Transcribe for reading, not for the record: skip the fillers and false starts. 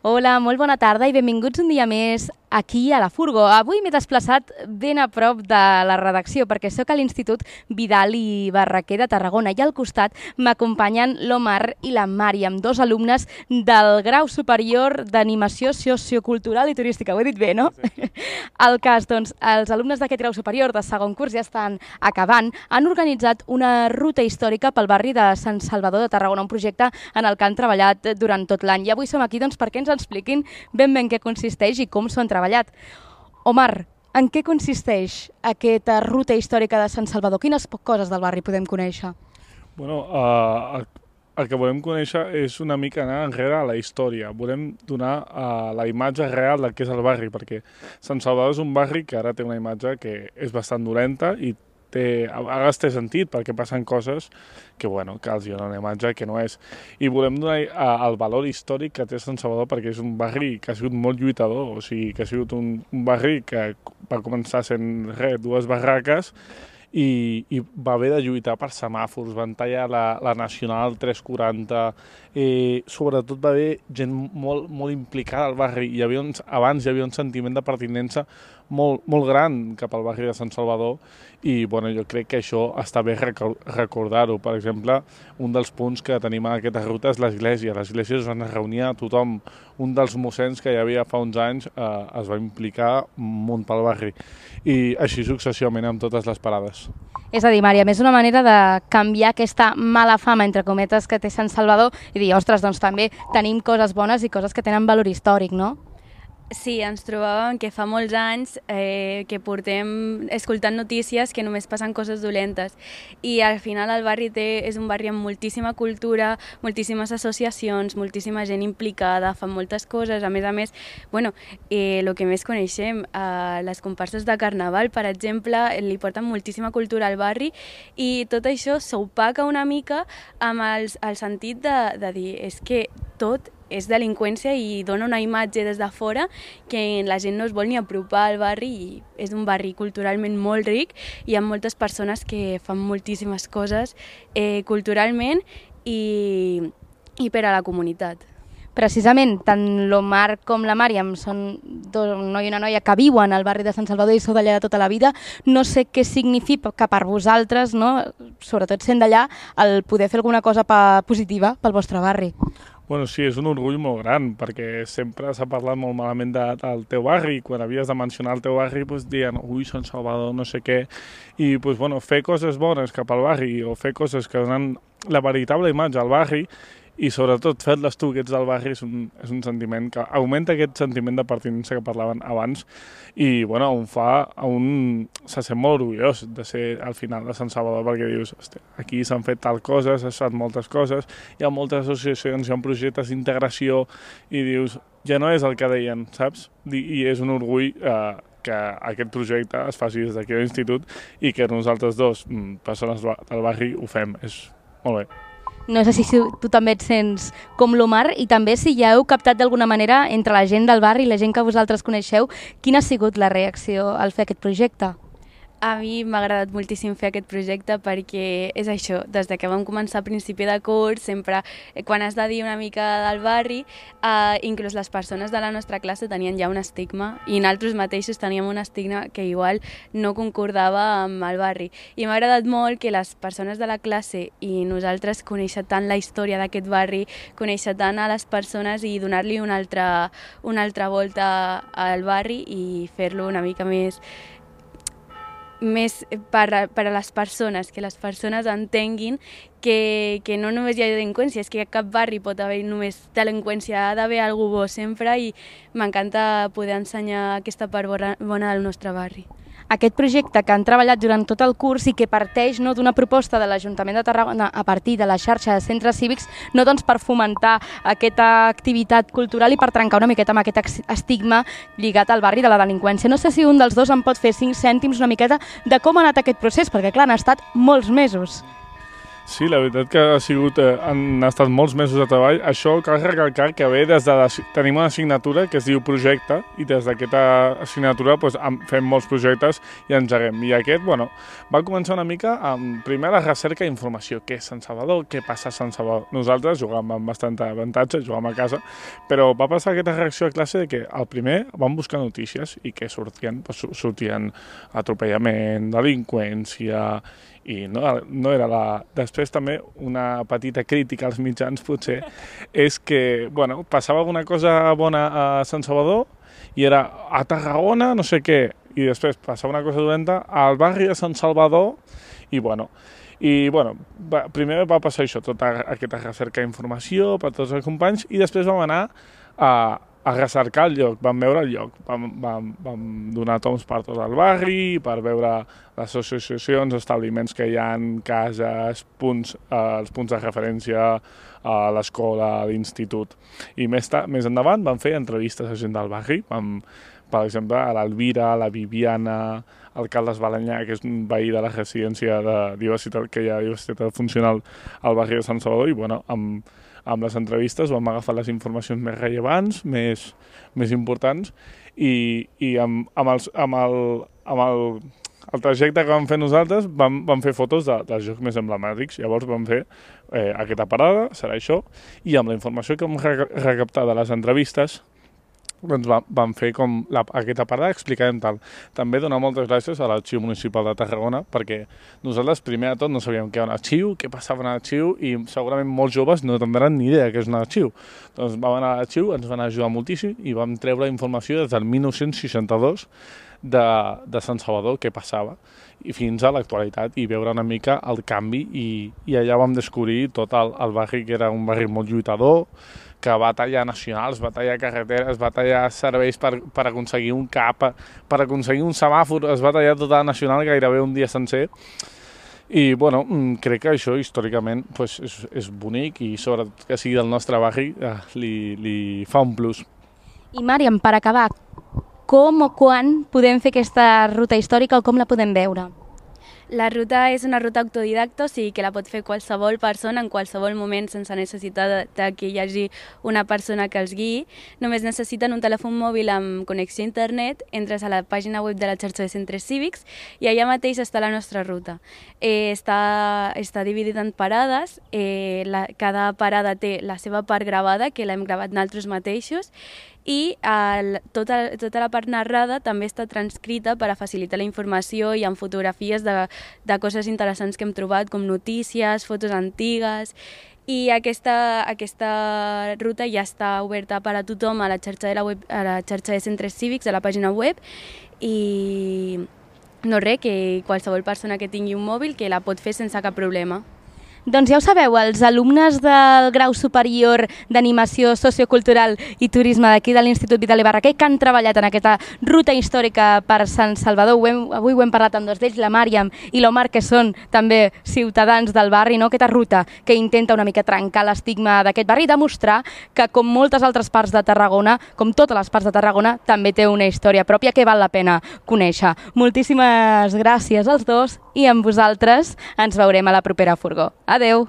Hola, molt bona tarda i benvinguts un dia més aquí a la Furgo. Avui m'he desplaçat ben a prop de la redacció perquè sóc a l'Institut Vidal i Barraquer de Tarragona i al costat m'acompanyen l'Omar i la Màriam, dos alumnes del grau superior d'animació sociocultural i turística. Ho he dit bé, no? Sí. El cas, doncs, els alumnes d'aquest grau superior de segon curs ja estan acabant. Han organitzat una ruta històrica pel barri de Sant Salvador de Tarragona, un projecte en el que han treballat durant tot l'any. I avui som aquí doncs, perquè ens expliquin ben què consisteix i com s'ho han treballat. Omar, en què consisteix aquesta ruta històrica de Sant Salvador? Quines coses del barri podem conèixer? Bueno, el que volem conèixer és una mica anar enrere a la història. Volem donar la imatge real del que és el barri, perquè Sant Salvador és un barri que ara té una imatge que és bastant dolenta i a vegades té sentit perquè passen coses que els donen una imatge que no és. I volem donar el valor històric que té Sant Salvador perquè és un barri que ha sigut molt lluitador, o sigui, que ha sigut un barri que va començar sent dues barraques i va haver de lluitar per semàfors, van tallar la Nacional 340, sobretot va haver gent molt implicada al barri, abans hi havia un sentiment de pertinença molt gran cap al barri de Sant Salvador i jo crec que això està bé recordar-ho. Per exemple, un dels punts que tenim en aquesta ruta és l'església. L'església es van reunir a tothom. Un dels mossens que hi havia fa uns anys es va implicar un munt pel barri i així successivament amb totes les parades. És a dir, Màriam, és una manera de canviar aquesta mala fama, entre cometes, que té Sant Salvador i dir, ostres, doncs també tenim coses bones i coses que tenen valor històric, no? Sí, ens trobàvem que fa molts anys que portem escoltant notícies que només passen coses dolentes i al final el barri és un barri amb moltíssima cultura, moltíssimes associacions, moltíssima gent implicada, fan moltes coses, a més, el que més coneixem, les comparses de carnaval, per exemple, li porten moltíssima cultura al barri i tot això s'opaca una mica amb el sentit de dir, és que tot és delinqüència i dona una imatge des de fora que la gent no es vol ni apropar al barri i és un barri culturalment molt ric i hi ha moltes persones que fan moltíssimes coses culturalment i per a la comunitat. Precisament, tant l'Omar com la Màriam són un noi i una noia que viuen al barri de Sant Salvador i sou d'allà de tota la vida. No sé què significa que per vosaltres, no, sobretot sent d'allà, el poder fer alguna cosa positiva pel vostre barri. Bueno, sí, és un orgull molt gran, perquè sempre s'ha parlat molt malament del teu barri, i quan havies de mencionar el teu barri diuen, ui, Sant Salvador, no sé què, i fer coses bones cap al barri o fer coses que donen la veritable imatge al barri i sobretot fer-les tu, que ets del barri, és un sentiment que augmenta aquest sentiment de pertinença que parlaven abans i se sent molt orgullós de ser al final de Sant Salvador perquè dius, aquí s'han fet tal cosa, s'han fet moltes coses, hi ha moltes associacions, hi ha projectes d'integració i dius, ja no és el que deien, saps? I és un orgull que aquest projecte es faci des d'aquí a l'institut i que nosaltres dos, persones del barri, ho fem, és molt bé. No sé si tu també et sents com l'Omar i també si ja heu captat d'alguna manera entre la gent del barri i la gent que vosaltres coneixeu, quina ha sigut la reacció al fer aquest projecte? A mi m'ha agradat moltíssim fer aquest projecte perquè és això, des que vam començar a principi de curs, sempre quan has de dir una mica del barri, inclús les persones de la nostra classe tenien ja un estigma i nosaltres mateixos teníem un estigma que igual no concordava amb el barri. I m'ha agradat molt que les persones de la classe i nosaltres conèixer tant la història d'aquest barri, conèixer tant a les persones i donar-li una altra volta al barri i fer-lo una mica més per a les persones, que les persones entenguin que no només hi ha delinqüència, és que a cap barri pot haver només delinqüència, ha d'haver algú bo sempre i m'encanta poder ensenyar aquesta part bona del nostre barri. Aquest projecte que han treballat durant tot el curs i que parteix d'una proposta de l'Ajuntament de Tarragona a partir de la xarxa de centres cívics, no doncs per fomentar aquesta activitat cultural i per trencar una miqueta amb aquest estigma lligat al barri de la delinqüència. No sé si un dels dos em pot fer 5 cèntims una miqueta de com ha anat aquest procés, perquè clar, han estat molts mesos. Sí, la veritat que han estat molts mesos de treball. Això cal recalcar que ve tenim una assignatura que es diu projecte i des d'aquesta assignatura fem molts projectes i engeguem. I aquest, va començar una mica amb primer la recerca d'informació. Què és Sant Salvador? Què passa a Sant Salvador? Nosaltres jugàvem amb bastant avantatge, jugàvem a casa, però va passar aquesta reacció a classe de que al primer vam buscar notícies i què sortien? Sortien atropellament, delinqüència, i no era Després també una petita crítica als mitjans potser és que, passava alguna cosa bona a Sant Salvador i era a Tarragona no sé què, i després passava una cosa dolenta al barri de Sant Salvador primer va passar això, tota aquesta recerca d'informació per tots els companys i després vam anar a recercar el lloc, vam veure el lloc, vam donar toms per tot el barri, per veure les associacions, establiments que hi ha, cases, els punts de referència a l'escola, a l'institut. I més endavant vam fer entrevistes a gent del barri, per exemple, a l'Alvira, a la Viviana, al Carles Balanyà, que és un veí de la residència de diversitat, que hi ha diversitat funcional al barri de Sant Salvador, i amb les entrevistes vam agafar les informacions més rellevants, més importants, i amb el trajecte que vam fer nosaltres vam fer fotos dels jocs més emblemàtics. Llavors vam fer aquesta parada, serà això, i amb la informació que vam recaptar de les entrevistes vam fer com aquesta parada, explicarem tal. També donar moltes gràcies a l'Arxiu Municipal de Tarragona, perquè nosaltres primer de tot no sabíem què era un arxiu, què passava en l'arxiu, i segurament molts joves no tindran ni idea què és un arxiu. Doncs vam anar a l'arxiu, ens van ajudar moltíssim i vam treure informació des del 1962 de Sant Salvador, què passava, i fins a l'actualitat, i veure una mica el canvi, i allà vam descobrir tot el barri, que era un barri molt lluitador, que va tallar nacionals, va tallar carreteres, va tallar serveis per aconseguir un cap, per aconseguir un semàfor, es va tallar tota la nacional gairebé un dia sencer. I, crec que això històricament és bonic i sobretot que sigui del nostre barri li fa un plus. I Màriam, per acabar, com o quan podem fer aquesta ruta històrica o com la podem veure? La ruta és una ruta autodidacta, o sigui que la pot fer qualsevol persona en qualsevol moment sense necessitat que hi hagi una persona que els guiï. Només necessiten un telèfon mòbil amb connexió a internet, entres a la pàgina web de la xarxa de centres cívics i allà mateix està la nostra ruta. Està dividida en parades, cada parada té la seva part gravada, que l'hem gravat nosaltres mateixos, i tota la part narrada també està transcrita per a facilitar la informació i amb fotografies de coses interessants que hem trobat, com notícies, fotos antigues. I aquesta ruta ja està oberta per a tothom a la xarxa de centres cívics, a la pàgina web, i no res, que qualsevol persona que tingui un mòbil que la pot fer sense cap problema. Doncs ja ho sabeu, els alumnes del grau superior d'animació sociocultural i turisme d'aquí de l'Institut Vidal i Barraquer que han treballat en aquesta ruta històrica per Sant Salvador. Avui ho hem parlat amb dos d'ells, la Màriam i l'Omar, que són també ciutadans del barri, no? Aquesta ruta que intenta una mica trencar l'estigma d'aquest barri i demostrar que, com moltes altres parts de Tarragona, com totes les parts de Tarragona, també té una història pròpia que val la pena conèixer. Moltíssimes gràcies als dos i amb vosaltres ens veurem a la propera furgó. Adeu!